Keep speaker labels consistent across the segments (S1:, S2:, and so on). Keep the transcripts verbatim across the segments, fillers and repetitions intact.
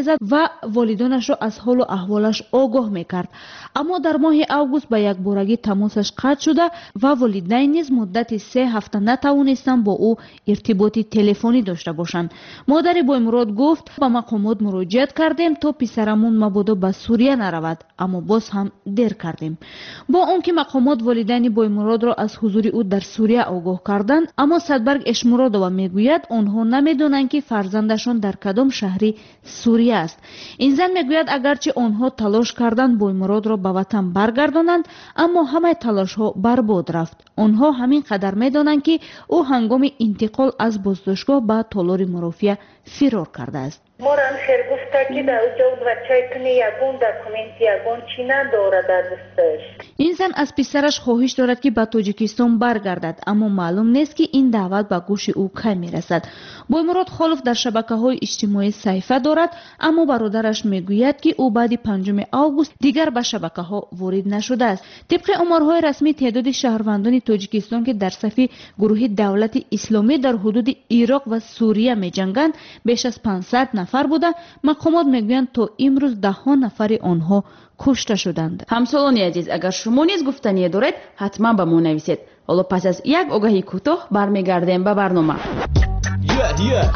S1: Мезад ва волидонашро аз ҳолу аҳволаш огоҳ мекард. Аммо дар моҳи август ба якборагӣ тамосаш қатъ шуда ва волидайн низ муддати се ҳафта натавонистанд бо ӯ иртиботи телефонӣ дошта бошанд. Модари Боймурод гуфт: ба мақомот муроҷиат кардем, то писарамон мабодо ба Сурия наравад, аммо боз ҳам дер кардем. Бо он ки мақомот волидайни Боймуродро аз ҳузури ӯ дар Сурия огоҳ карданд, аммо Садбарг Эшмуродова мегӯяд, онҳо намедонанд, ки фарзандашон дар кадом шаҳри Сурия аст. Ин зан мегӯяд, агарчи онҳо талош карданд Боймуродро ба ватан баргардонанд, аммо ҳамаи талошҳо барбод рафт. Онҳо ҳамин қадар медонанд, ки ӯ ҳангоми интиқол аз боздоштгоҳ ба толори мурофиа фирор кардааст.
S2: Морам хер гуфта, ки дар уҷо бачаи туни ягон документ, ягон чӣ надорад дар дасташ.
S1: Ин зан аз писараш хоҳиш дорад, ки ба Тоҷикистон баргардад, аммо маълум нест, ки ин даъват ба гӯши ӯ кай мерасад. Боймурод Холов дар шабакаҳои иҷтимоӣ саҳифа дорад, аммо бародараш мегӯяд, ки ӯ баъди панҷуми август дигар ба шабакаҳо ворид нашудааст. Тибқи оморҳои расмӣ, теъдоди шаҳрвандони Тоҷикистон, ки дар сафи гурӯҳи Давлати Исломӣ дар ҳудуди Ироқ ва Сурия меҷанганд, беш аз панҷсад нафар буда, мақомот мегӯянд, то имрӯз даҳҳо нафари онҳо кушта шуданд.
S3: Ҳамсолони азиз, агар шумо низ гуфтание доред, ҳатман ба мо нависед. Ҳоло пас аз як огаҳии кӯтоҳ бармегардем ба барнома.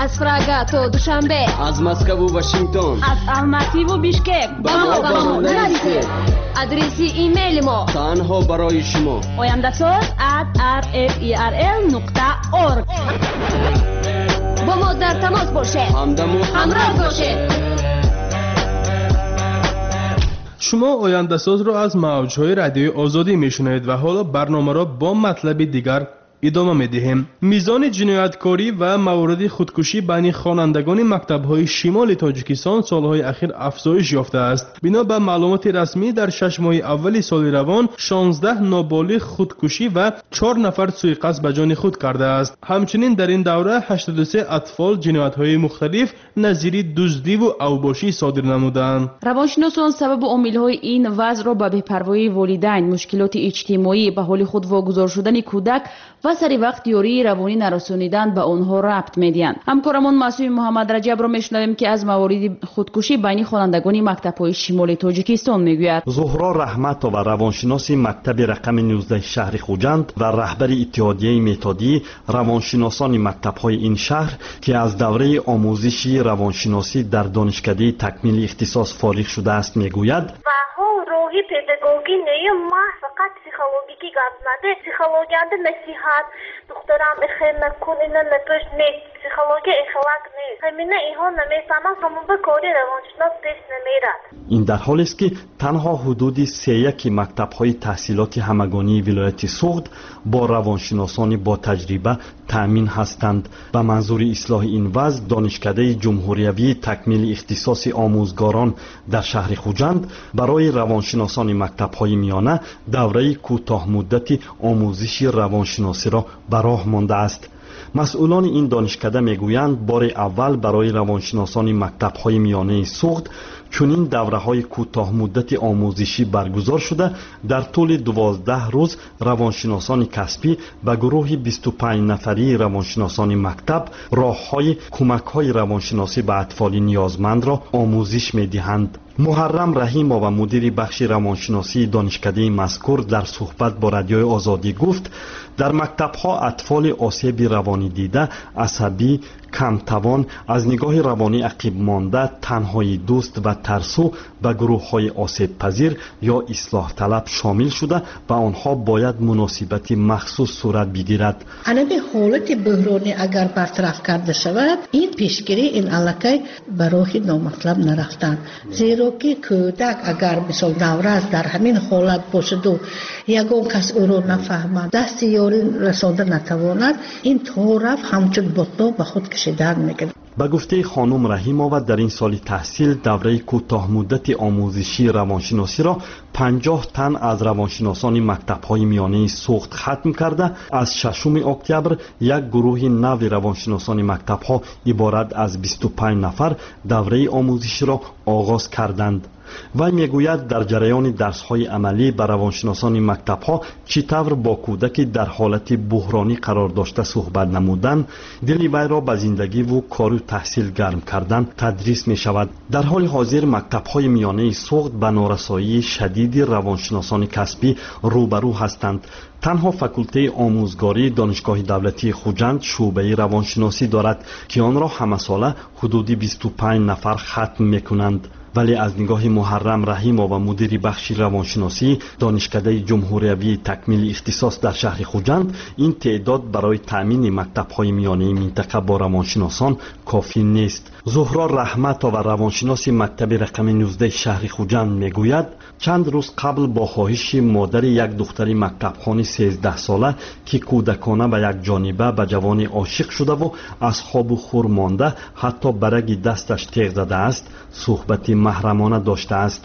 S4: Аз Прага то Душанбе,
S5: аз Москву Вашингтон,
S6: аз Алмативу Бишкек
S5: ба мо ба мо нависед.
S4: Адреси имейли мо
S5: танҳо барои шумо:
S6: ояндасоз at rferl нуқта org.
S4: Бо мо дар тамос бошед,
S5: ҳамдаму
S4: ҳамроҳ бошед.
S7: Шумо Ояндасозро аз мавҷҳои Радиои Озодӣ мешунавед ва ҳоло барномаро бо матлаби дигар идома медиҳем. Мизони ҷинояткорӣ ва мавориди худкушӣ байни хонандагони мактабҳои шимоли Тоҷикистон солҳои ахир афзоиш ёфтааст. Бино ба маълумоти расмӣ, дар шаш моҳи аввали соли равон шонздаҳ ноболиғ худкушӣ ва чор нафар суиқасд ба ҷони худ кардааст. Ҳамчунин дар ин давра ҳаштоду се атфол ҷиноятҳои мухталиф назири дуздиву авбошӣ содир намуданд.
S3: Равоншиносон сабабу омилҳои ин вазъро ба бепарвоии волидайн, мушкилоти иҷтимоӣ, ба ҳоли худ вогузор шудани кӯдак ва сари вақт ёрии равонӣ нарасонидан ба онҳо рабт медиҳанд. Ҳамкорамон Маъсуми Муҳаммадраҷабро мешунавем, ки аз мавориди худкушӣ байни хонандагони мактабҳои шимоли Тоҷикистон мегӯяд.
S8: Зуҳро Раҳматова, равоншиноси мактаби рақами нуздаҳи шаҳри Хуҷанд ва раҳбари иттиҳодияи методии равоншиносони мактабҳои ин шаҳр, ки аз давраи омӯзиши равоншиносӣ дар донишкадаи такмили ихтисос фориғ шудааст, мегӯяд:
S9: Роҳи педагогӣ нею ма фақат психологикӣ гап заде. Психологиянда насиҳат, духтарам, ихел накун, ина напӯш, нест. Психология ихелак нест. Ҳамина инҳо намефаҳманд, ҳамон ба кори равоншинос пеш намерад.
S8: Ин дар ҳолест, ки танҳо ҳудуди сеяки мактабҳои таҳсилоти ҳамагонии вилояти Суғд бо равоншиносони ботаҷриба таъмин ҳастанд. Ба манзури ислоҳи ин вазъ донишкадаи ҷумҳуриявии такмили ихтисоси омӯзгорон дар шаҳри Хуҷанд барои равоншиносони мактабҳои миёна давраи кӯтоҳмуддати омӯзиши равоншиносиро ба роҳ мондааст. Масъулони ин донишкада мегӯянд, бори аввал барои равоншиносони мактабҳои миёнаи Суғд чунин давраҳои кӯтоҳмуддати омӯзишӣ баргузор шуда, дар тӯли дувоздаҳ рӯз равоншиносони касбӣ ба гурӯҳи бисту панҷ нафарии равоншиносони мактаб роҳҳои кӯмакҳои равоншиносӣ ба атфоли ниёзмандро омӯзиш медиҳанд. Муҳаррам Раҳимова, мудири бахши равоншиносии донишкадаи мазкур, дар суҳбат бо Радиои Озодӣ гуфт, дар мактабҳо атфоли осеби равонӣ дида, асабӣ, камтавон, аз нигоҳи равонӣ ақибмонда, танҳои дӯст ва тарсу ба гурӯҳҳои осебпазир ё ислоҳталаб шомил шуда, ба онҳо бояд муносибати махсус сурат бигирад.
S10: Ҳамин ҳолати буҳронӣ агар бартараф карда шавад, ин пешгирӣ, ин аллакай ба роҳи номатлаб нарафтан. Зеро ки кӯдак агар, мисол, наврас дар ҳамин ҳолат бошаду ягон кас ӯро нафаҳмад, дасти ёрӣ расонда натавонад, ин то рафт ҳамчун ботлоқ ба худ кашидан мекунад.
S8: Ба гуфтаи хонум Раҳимова, дар ин соли таҳсил давраи кӯтоҳмуддати омӯзишии равоншиносиро панҷоҳ тан аз равоншиносони мактабҳои миёнаи Суғд хатм карда, аз шашуми октябр як гурӯҳи нави равоншиносони мактабҳо иборат аз бисту панҷ нафар давраи омӯзиширо оғоз карданд. Вай мегӯяд, дар ҷараёни дарсҳои амалӣ ба равоншиносони мактабҳо чӣ тавр бо кӯдаки дар ҳолати буҳронӣ қарор дошта суҳбат намудан, дили вайро ба зиндагиву кору таҳсил гарм кардан тадрис мешавад. Дар ҳоли ҳозир мактабҳои миёнаи Суғд ба норасоии шадиди равоншиносони касбӣ рӯбарӯ ҳастанд. Танҳо факултеи омӯзгории Донишгоҳи давлатии Хуҷанд шӯъбаи равоншиносӣ дорад, ки онро ҳамасола ҳудуди бисту панҷ нафар хатм мекунанд. Вале аз нигоҳи Муҳаррам Раҳимова, мудири бахши равоншиносии Донишкадаи ҷумҳуриявии такмили ихтисос дар шаҳри Хуҷанд, ин теъдод барои таъмини мактабҳои миёнаи минтақа бо равоншиносон кофӣ нест. Зуҳро Раҳматова, равоншиноси мактаби рақами нуздаҳи шаҳри Хуҷанд, мегӯяд, чанд рӯз қабл бо хоҳиши модари як духтари мактабхони сездаҳсола, ки кӯдакона ба як ҷониба ба ҷавони ошиқ шудаву аз хобу хур монда, ҳатто ба раги дасташ теғ задааст, суҳбати маҳрамона доштааст.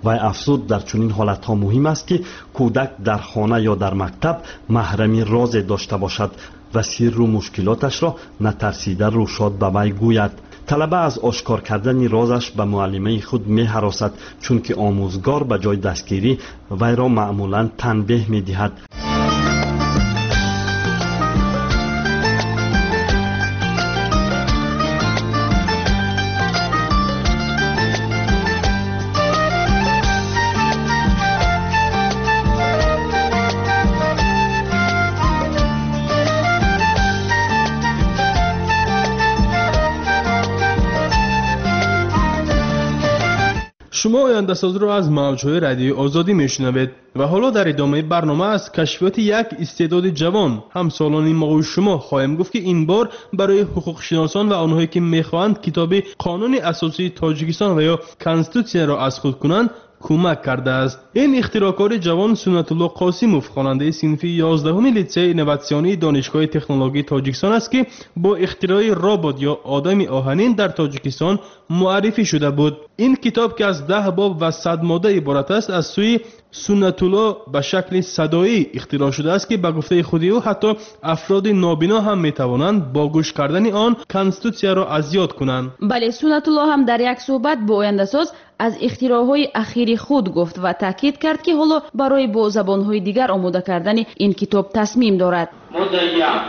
S8: Вай афзуд, дар чунин ҳолатҳо муҳим аст, ки кӯдак дар хона ё дар мактаб маҳрами розе дошта бошад ва сирру мушкилоташро натарсида рӯшод ба вай гӯяд. Талаба аз ошкор кардани розаш ба муаллимаи худ меҳаросад, чунки омӯзгор ба ҷои дастгирӣ вайро маъмулан танбеҳ медиҳад.
S7: Шумо ояндасозро аз мавҷҳои радиои Озодӣ мешунавед ва ҳоло дар идомаи барнома аз кашфиёти як истеъдоди ҷавон, ҳамсолони мову шумо хоҳем гуфт, ки ин бор барои ҳуқуқшиносон ва онҳое ки мехоҳанд китоби Қонуни асосии Тоҷикистон ва ё Конститутсияро аз худ кунанд кӯмак кардааст. Ин ихтироъкори ҷавон Суннатулло Қосимов, хонандаи синфи ёздаҳуми литсеи инноватсионии Донишгоҳи технологии Тоҷикистон аст, ки бо ихтирои робот ё одами оҳанин дар Тоҷикистон муаррифӣ шуда буд. Ин китоб, ки аз даҳ боб ва сад модда иборат аст, аз сӯи Суннатулло ба шакли садоӣ ихтироъ шудааст, ки ба гуфтаи худи ӯ ҳатто афроди нобино ҳам метавонанд бо гӯш кардани он Конститутсияро аз ёд кунанд.
S3: Бале, Суннатулло ҳам дар як суҳбат бо ояндасоз аз ихтироъҳои ахири худ гуфт ва таъкид кард, ки ҳоло барои бо забонҳои дигар омода кардани ин китоб тасмим дорад.
S11: Моддаи як.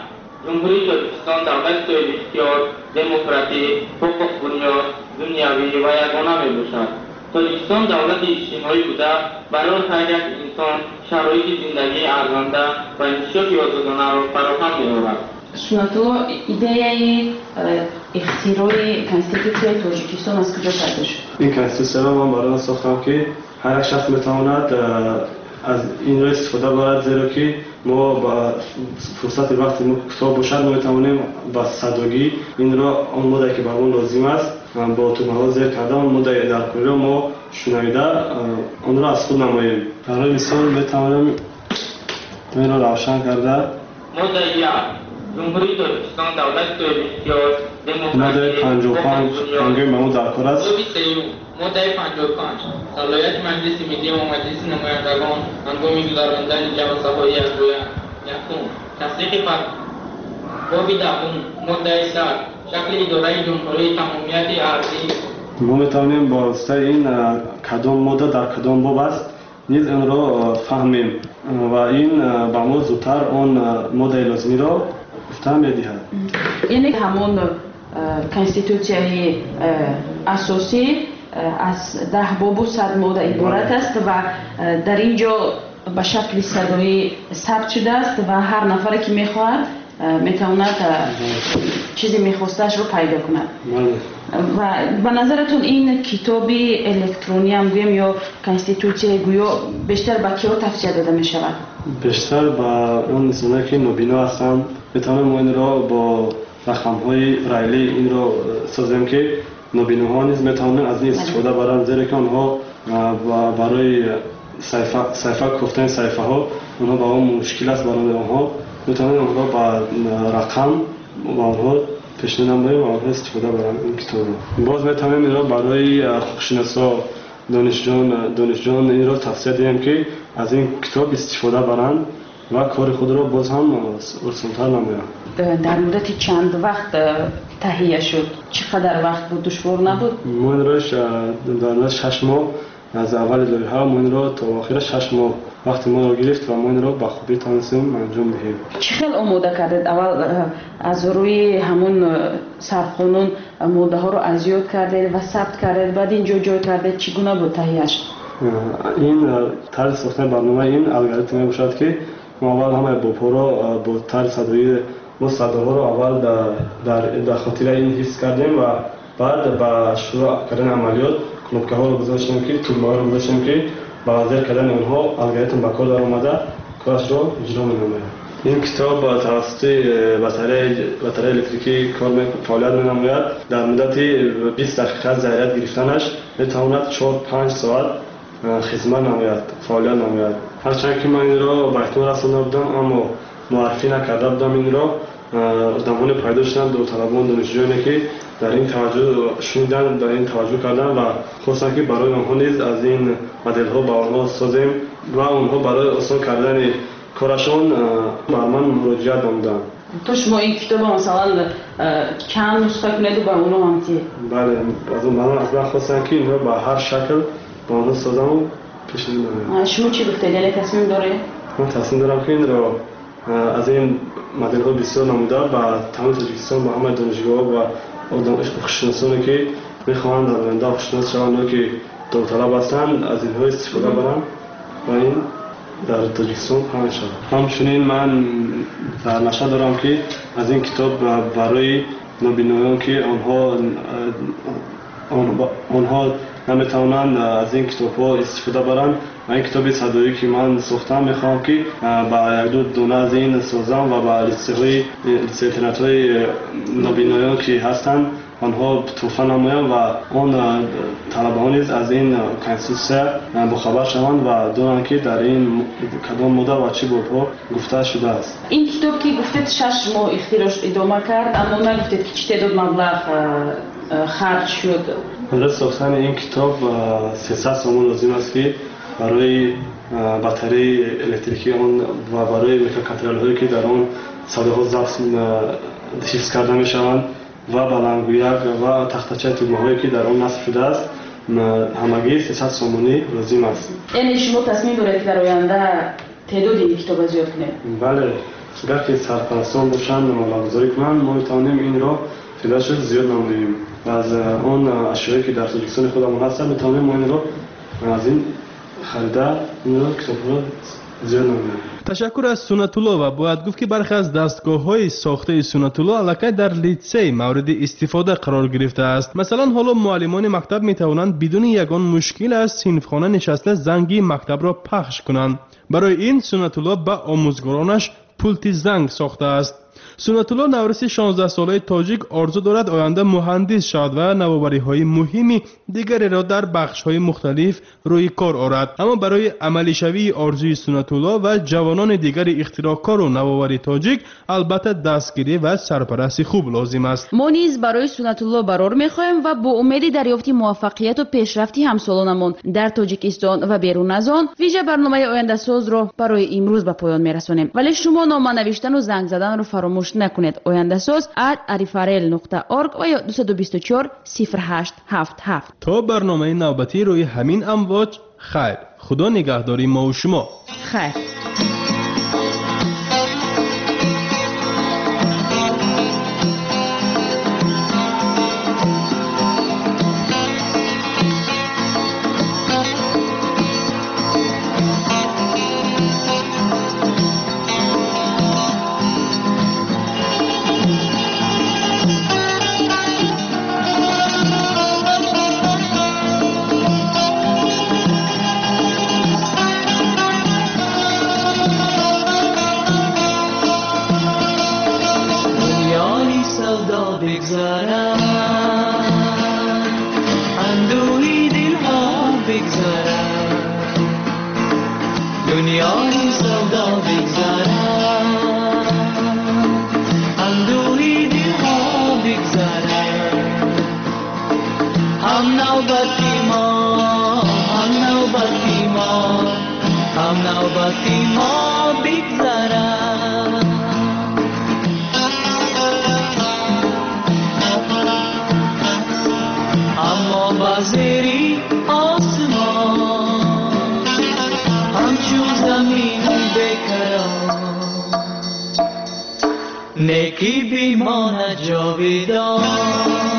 S11: Ҷумҳурии Тоҷикистон давлати соҳибихтиёр, демократӣ, ҳуқуқбунёд, дунявӣ ва ягона мебошад. Тоҷикистон давлати иҷтимоӣ буда, барои ҳар як инсон шароити зиндагии арзанда ва инкишофи озодонаро фароҳам меорад.
S3: Суннатулло, идеяи ихтирои Конститутсияи Тоҷикистон аз куҷо пайдо шуд?
S12: Ин Конститутсияро ман барои он сохтам, ки ҳар як шахс метавонад аз инро истифода барад, зеро ки мо ба фурсати вақти мо кӯтоҳ бошад, мо метавонем ба садогӣ инро, он моддае ки ба мо лозим аст, бо тугмаҳо зер карда, он моддаи даркориро мо шунавида онро аз худ намоем. Барои мисол метавонем инро равшан карда.
S11: Моддаи як. Ҷумҳурии Тоҷикистон давлати соҳибихтиёр, демократӣ,
S12: моддаи панҷоҳу панҷ ҳангоми ба мо даркор аст.
S11: Боби сеюм, моддаи панҷоҳу панҷ. Салоҳияти Маҷлиси Миллӣ ва Маҷлиси намояндагон ҳангоми гузаронидани ҷаласаҳои якҷоя. Якум. Тасдиқи боби даҳум, моддаи сад. Шакли идораи ҷумҳурии тамомияти арзӣ.
S12: Мо метавонем бо воситаи ин кадом модда дар кадом боб аст низ инро фаҳмем ва ин ба мо зудтар он моддаи лозимиро гуфта медиҳад.
S3: Яъне ҳамон Конститутсияи асосӣ аз даҳ бобу сад модда иборат аст ва дар ин ҷо ба шакли садоӣ сабт шудааст ва ҳар нафаре ки мехоҳад метавонад чизе мехостаашро пайдо кунад. Ва ба назаратон ин китоби электронӣ ҳам гӯем ё Конститутсияи гӯё бештар ба киҳо тавсия дода мешавад?
S12: Бештар ба он инсоное ки нобино ҳастанд. Метавонем мо инро бо рақамҳои райлӣ инро созем, ки нобиноҳо низ метавонанд аз ин истифода баранд, зеро ки онҳо барои саҳифа кофтани саҳифаҳо онҳо ба он мушкил аст барои онҳо. Метавонем онҳо ба рақам ба онҳо пешниҳод намоем ва онҳо истифода баранд ин китобро. Боз метавонем инро барои ҳуқуқшиносо, донишҷӯён донишҷӯён инро тавсия диҳем, ки аз ин китоб истифода баранд ва кори худро боз ҳам осонтар намоянд.
S3: Дар муддати чанд вақт таҳия шуд? Чӣ қадар вақт буд? Душвор набуд?
S12: Мо инро дар муддати шаш моҳ Аз аввали лоиҳа мо инро то охира шаш моҳ вақти моро гирифт ва мо инро ба хубӣ тавонистем анҷом диҳем.
S3: Чӣ хел омода кардед? Аввал аз рӯи ҳамон сарқонун моддаҳоро аз ёд кардед ва сабт кардед, баъд инҷо ҷой кардед. Чӣ гуна буд таҳияш?
S12: Ин тарзи сохтани барнома ин алгоритм мебошад, ки мо аввал ҳамаи бобҳоро бо тарзи садоӣ, мо садоҳоро аввал дар хотираи ин ҳифз кардем ва баъд ба шурӯъ кардани амалиёт кнопкаҳоро гузоштем, ки тугмаҳоро гузоштем, ки ба зер кардани онҳо алгоритм ба кор даромада корашро иҷро менамояд. Ин китоб тавассути батареяи электрикӣ кор фаъолият менамояд. Дар муддати бист дақиқа заряд гирифтанаш метавонад чор-панҷ соат хизмат намояд, фаъолият намояд. Ҳарчанд ки ман инро ба итмом расонда будам, аммо муаррифӣ накарда будам инро. Одамоне пайдо шуданд, довталабон, донишҷӯёне, ки дар ин таваҷҷӯҳ шуниданд, дар ин таваҷҷӯҳ карданд ва хостанд, ки барои онҳо низ аз ин моделҳо ба онҳо созем ва онҳо барои осон кардани корашон ба ман муроҷиат намуданд.
S3: То шумо ин китобро масалан чанд нусха кунеду ба онҳо ҳам тиед?
S12: Бале, аз ман хостанд, ки инро ба ҳар шакл ба онҳо созаму пешниҳод намоям.
S3: Шумо чӣ гуфтед? Яъне тасмим доред?
S12: Ман тасмим дорам, ки инро аз ин моделҳо бисёр намуда ба тамоми Тоҷикистон, ба ҳамаи донишгоҳҳо ва ҳуқуқшиносоне, ки мехоҳанд дар оянда ҳуқуқшинос шаванд ё ки довталаб ҳастанд, аз инҳо истифода баранд ва ин дар Тоҷикистон паҳн шавад. Ҳамчунин ман дар нақша дорам, ки аз ин китоб барои нобиноён, ки онҳо онҳо наметавонанд аз ин китобҳо истифода баранд, ва ин китоби садоӣ, ки ман сохтам, мехоҳам, ки ба якду дона аз ин созам ва ба литсейҳои литсей-интернатҳои нобиноён, ки ҳастанд, онҳо туҳфа намоям ва он талабаҳо низ аз ин конститутсия бохабар шаванд ва донанд, ки дар ин кадом модда ва чӣ бобҳо гуфта шудааст.
S3: Ин китоб, ки гуфтед, шаш моҳ ихтирош идома кард, аммо нагуфтед, ки чӣ теъдод маблағ харҷ шуд?
S12: Барои сохтани ин китоб сесад сомон лозим аст, ки барои батареяи электрикии он ва барои микроконтроллерҳое, ки дар он садоҳо забт ҳифз карда мешаванд, ва баландгӯяк ва тахтачаи тугмаҳое, ки дар он насб шудааст, ҳамагӣ сесад сомонӣ лозим аст.
S3: Яъне шумо тасмим доред, ки дар оянда теъдоди ин китобро зиёд кунед?
S12: Бале, агар ки сарпарастон бошанд, маблағгузорӣ кунанд, мо метавонем инро теъдодашро зиёд намоем. Аз он ашёе, ки дар Тоҷикистони худамон ҳастанд, метавонем мо инро аз ин харида инро китобҳоро зиёд намоем.
S7: Ташаккур аз Суннатулло ва бояд гуфт, ки бархе аз дастгоҳҳои сохтаи Суннатулло аллакай дар литсей мавриди истифода қарор гирифтааст. Масалан, ҳоло муаллимони мактаб метавонанд бидуни ягон мушкил аз синфхона нишаста занги мактабро пахш кунанд. Барои ин Суннатулло ба омӯзгоронаш пулти занг сохтааст. Суннатулло навраси шонздаҳсолаи тоҷик орзу дорад оянда муҳандис шавад ва навовариҳои муҳими дигареро дар бахшҳои мухталиф рӯи кор орад. Аммо барои амалишавии орзуи Суннатулло ва ҷавонони дигари ихтироъкору навовари тоҷик албатта дастгирӣ ва сарпарасти хуб лозим аст.
S3: Мо низ барои Суннатулло барор мехоҳем ва бо умеди дарёфти муваффақияту пешрафти ҳамсолонамон дар Тоҷикистон ва берун аз он вижа барномаи ояндасозро барои имрӯз ба поён мерасонем. Вале шумо нома навиштану занг заданро фаромӯш накунед. Ояндасоз at arifarel нуқта org ва ё дусаду бисту чор сифр ҳашт ҳафт ҳафт.
S7: То барномаи навбатӣ рӯи ҳамин амвоҷ хайр. Худо нигаҳдори мову шумо.
S3: Хайр.
S13: دنیای سودا بگذرد، اندوهی دلها بگذرد، هم نوبتی ما، هم نوبتی ما، هم نوبتی ما بگذرد. اما با زیری آسمان Некӣ бимонад ҷовидон.